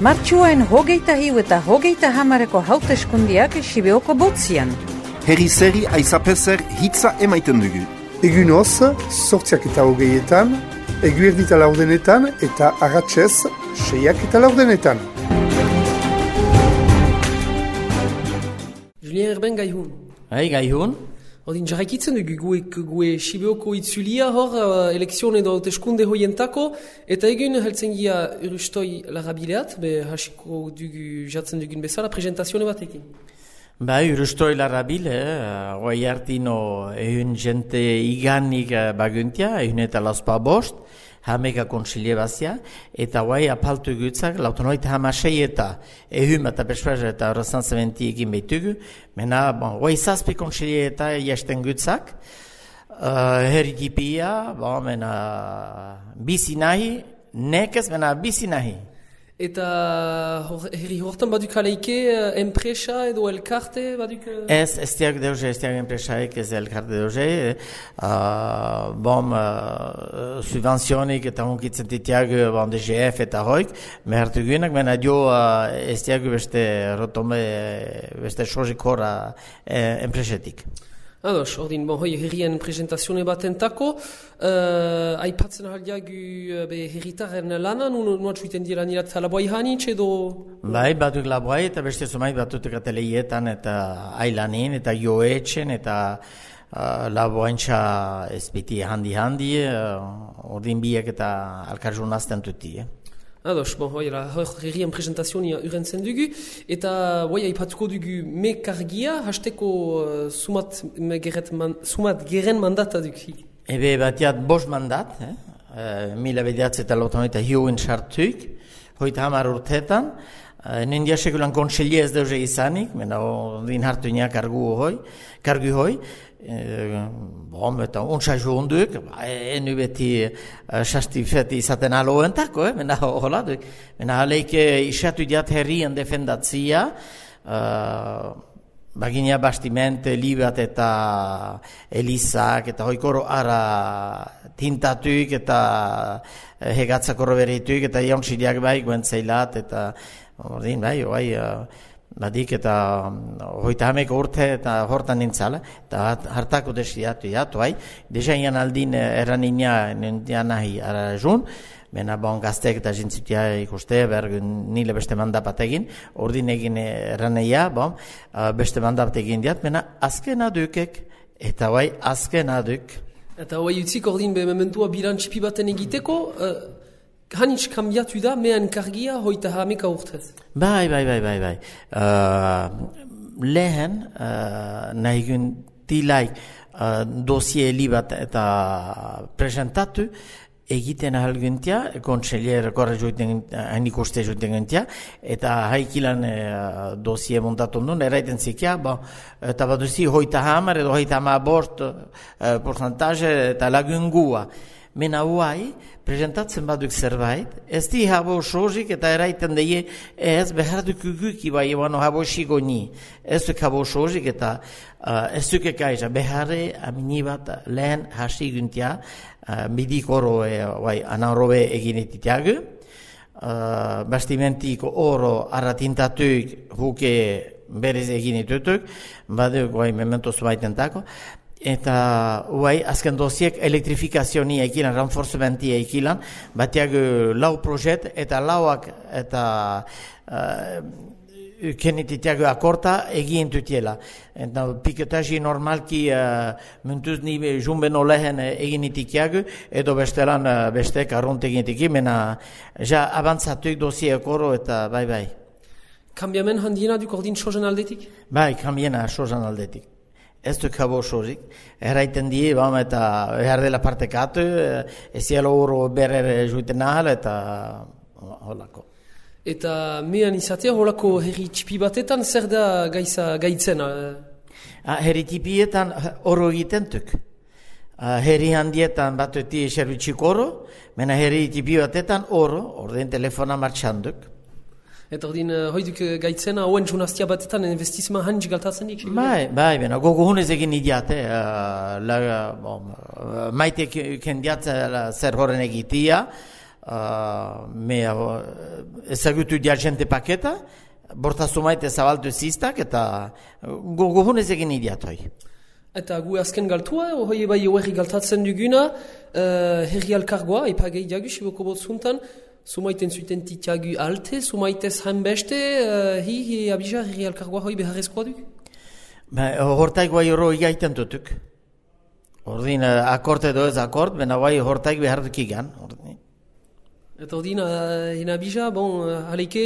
Martxuain hogeita hiu eta hogeita hamareko hauteskundiak Sibeoko botzian. Herri zeri aizapezer hitza emaiten dugu. Egunoz, 8:20, eguerdita laurdenetan eta arratsez 6:40. Julien Erben gaihun. Gaihun. Ordin jarraikitzen dugu gue Sibeoko itzulia hor elekzion edo hauteskunde hoientako, eta egun heltzen gira Urustoi Larrabileat, hasiko dugu jatzen dugun bezala, presentazione batekin. Urustoi Larrabile, guai hartino ehun jente iganik baguntia, ehun eta laspa bost, hameka konsilie bazia, eta guai apaltu gutzak, lautonoita hamasei eta ehun eta persuazio eta horrezan zementi egin behitugu, mena, guai zazpi konsilie eta jasten gutzak, herritipia, mena, bizi nahi, nekez, mena, bizi nahi. Eta herri hortan baduk aleike enpresa edo elkarte baduk? Ez diak deuze, ez diak enpresaik, ez elkarte deuze. Subvenzionik eta honkitzen ditiak DGF eta hoik, mehartu guenak, mena dio ez diak beste rotombe, beste sozik horra enpresetik. Ados, ordin, herrien presentazione batentako, aipatzen ahaldiagu herritaren lana, nuat suiten dira nirat laboai hanitz edo? Batuk laboai eta beste zumait batutek ateleietan eta ailanin eta joetxen eta laboaintza ezpiti handi, ordin biak eta alkarjun azten tuti. Ados, herrien presentazioa urentzen dugu, eta aipatuko dugu mekargia, hasteko sumat geren mandata dugu. Ebe batiat 5 mandat, mila bediatze eta lautonoita hiuin sartuik, hoita hamar urtetan, nendia sekulan konselie ez deuze izanik, mena din hartuinak kargu hoi, eta untsa juunduk, enu beti sastifeti izaten aloentako, mena hola duk. Mena aleike isatu diat herrien defendatzia, bagina bastimente, libat eta elizak, eta hoikoro ara tintatuik, eta hegatzak horreberituik, eta jauntsidiak bai, guentzeilat, eta ordin bai, badik eta hoita hameko urte eta hortan nintzala, eta hartako desiatu jatu, deja ian aldin eranina nintian nahi arajun, mena gazteek eta jintzitia ikuste, bergun nile beste mandapat egin, ordin egin eraneia, beste mandapat egin diat, mena azken adukek, eta azken aduk. Eta utzik ordin mementua bilantzipi baten egiteko, hanitz kambiatu da, mehan kargia hoita hameka urtez. Bai. Lehen, nahigun tilaik dosie libat eta presentatu, egiten ahalguntia, kontselier korre joiten, hainik uste joiten guntia, eta haikilan dosie montatu nun, eraiten zikia, eta baduzi hoita hamar edo hoita hamar bost porcentaje eta lagungua. Mena huai, presentatzen baduk zerbait, ez di habo sozik eta eraiten deie ez behar dukuguki bai ebano habo xigoni. Ez duk habo sozik eta ez duk ekaiza beharre amini bat lehen hasi guntia midik oro anarrobe eginetitiagu. Bastimentik oro arratintatuik huke berez eginetutuk, baduk mementoz baitentako. Eta azken dosiek elektrifikazioni ekilan, renforcementi ekilan, batiak lau projet eta lauak eta kenetitiak akorta egin tutiela. Eta piketaji normalki mentuz ni jumbeno lehen egin itikiak edo bestelan bestek arrunt egin itiki, mena ja avantzatuik dosiek oro eta bai. Kambiamen handiena duk ordin sozen aldetik? Bai, kambiena sozen aldetik. Ez duk habo sozik, erraiten die, eta behar dela partekatu, ezielo oro berer juiten ahal, eta holako. Eta mehan izatea holako herri txipi batetan, zer da gaitzen? Herri tipietan oro egiten tuk. Herri handietan batuti servitxik oro, mena herri tipi batetan oro, ordin telefona martxanduk. Eta ordin, hoiduk gaitzena, hauen junaztia batetan, investizma hanitz galtatzen dik? Bai, gogo hunez egin idiate, maite kendiat zer horren egitia, ezagutu diagente paketa, borta zumaite zabaltu ziztak, eta gogohunez egin idiatoi. Eta gu azken galtua, hoi bai horri galtatzen duguna, herri alkargoa, ipagei diagu, Siboko botzuntan, sumaiten zuten titiagu alte, sumaitez hanbeste, hi abija herri alkargoa hoi beharrezkoa duk? Hortaik bai horro igaiten dutuk. Ordin, akort edo ez akort, bena bai hortaik beharrik igan. Eta ordin, abija, haleike,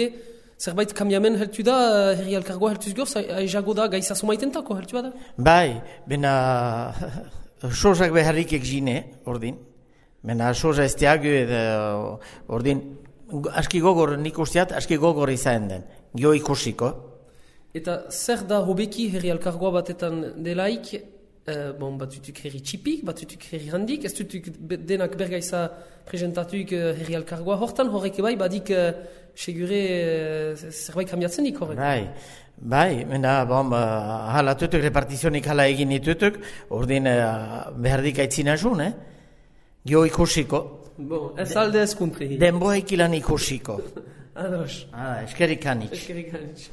zerbait kambiamen heltu da, herri alkargoa heltuz gorz, aizago da gaisa sumaiten tako heltu da? Bai, bena sozak beharrik egzine, ordin. Bena soza ez diagu, ordin, aski gogor nik usteat, aski gogor izan den, gio ikusiko. Eta zer da hobeki herri alkargoa batetan delaik, batzutuk herri txipik, batzutuk herri handik, ez dutuk denak bergaiza presentatuk herri alkargoa hortan, horrek bai, badik segure zerbait kambiatzen dik horrek. Bai, mena, hala tutuk, repartizionik hala egin ditutuk, ordin behardik aitzina zun, gio ikusiko. Ez alde ez kuntri. Denboa ikilan ikusiko. Ados. Eskerik anitz. Eskerik anitz.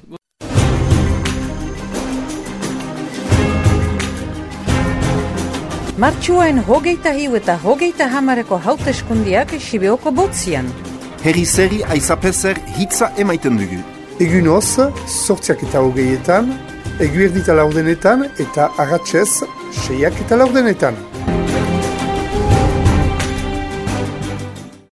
Martxuaen 21 eta 30 hauteskundiak Sibeoko botzian. Herri zeri aizapezer hitza emaiten dugu. Egunoz, 8:20, eguerdita laurdenetan eta arratsez 6:40.